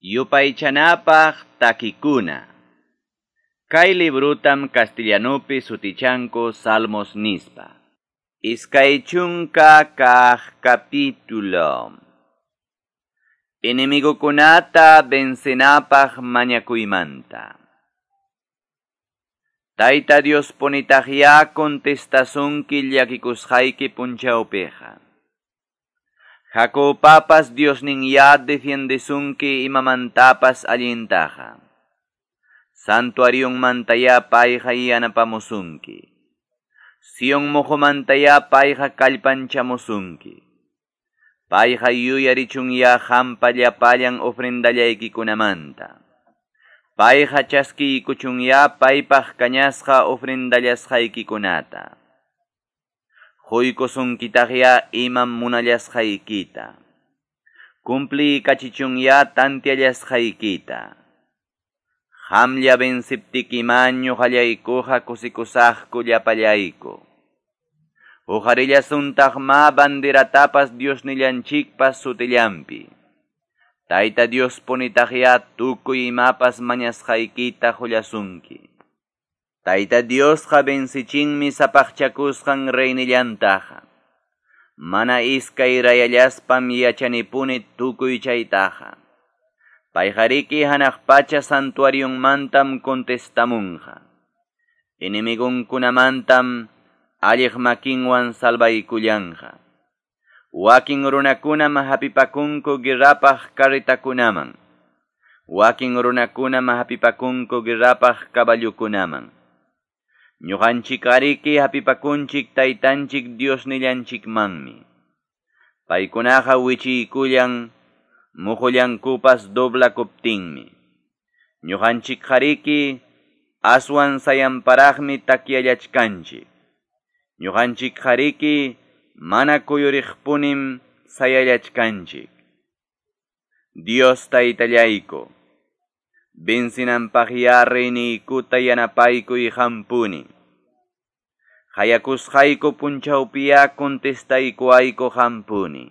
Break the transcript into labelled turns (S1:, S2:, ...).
S1: Yupaychanapaq takikuna. Kay librutam castellanupi sutichanku Salmos nispa. 20 kaq capítulo. Enemigukunata vencenapaq mañakuymanta. Tayta Dios punitaqya contestasunki llakikusqayki punchawpiqa. Jacobpapas Diosninya defiendesunki imamantapas allintaqa. Santuarionmantaya payqa yanapamusunki. Sion muqumantaya payqa kallpanchamusunki. Payqa yuyarichunya qampa llapallan ofrendallaykikunamanta. Payqa chaskiykuchunya paypaq kañasqa ofrendallasqaykikunata. Quykusunkitaqya imam munallasqaykita. Cumpliykachichunya tantiallasqaykita. Qamlla venciptikima ñuqallaykuqa kusikusaqku llapallayku. Uqarillasuntaq ma banderatapas Diosnillanchikpas sutillanpi. Tayta Dios punitaqya tukuy imapas mañasqaykita qullasunki. Tayta Diosqa vencichinmi sapaqchakusqan reynillantaqa. Mana iskay rayallaspam yachanipuni tukuy chaytaqa. Payqariki hanaq pacha santuarionmantam contestamunqa. Enemigunkunamantam alliq makinwan salvaykullanqa. Wakin runakunam hapipakunku guerrapaq carretakunaman. Wakin runakunam hapipakunku guerrapaq caballukunaman. Ñuqanchik ariki hapipakunchik taytanchik Diosnillanchikmanmi. Paykunaqa wichiykullan muqullankupas doblakuptinmi. Ñuqanchik qariki aswan sayanparaqmi takyallachkanchik. Ñuqanchik qariki mana kuyuriqpunim sayallachkanchik. Dios taytallayku, vencinanpaqya reyniykuta yanapaykuy qampuni. Qayakusqayku punchawpiya contestaykuwayku qampuni.